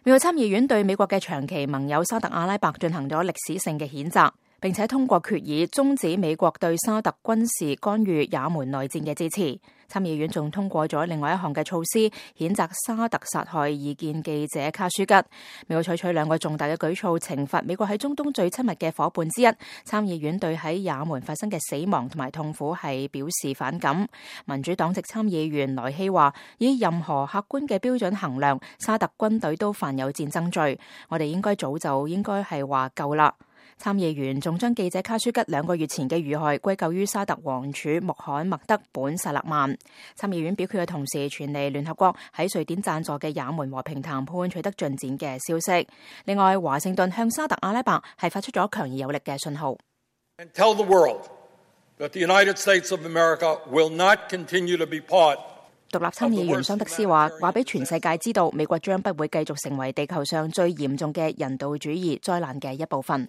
美國參議院對美國嘅長期盟友沙特阿拉伯進行咗歷史性嘅譴責，並且通過決議終止美國對沙特軍事干預也門內戰嘅支持。參議院仲通過咗另外一項嘅措施，譴責沙特殺害異見記者卡舒吉。美國採取兩個重大嘅舉措，懲罰美國喺中東最親密嘅夥伴之一。參議院對喺也門發生嘅死亡同埋痛苦係表示反感。民主黨籍參議員萊希話：以任何客觀嘅標準衡量，沙特軍隊都犯有戰爭罪。我哋應該早就應該係話夠啦。參議員仲將記者卡舒吉2個月前嘅遇害歸咎於沙特王儲穆罕默德本薩勒曼。參議院表決嘅同時，傳嚟聯合國喺瑞典贊助嘅也門和平談判取得進展嘅消息。另外，華盛頓向沙特阿拉伯係發出咗強而有力嘅信號。Tell the world that the United States of America will not continue to be part。獨立參議員桑德斯話俾全世界知道，美國將不會繼續成為地球上最嚴重嘅人道主義災難嘅一部分。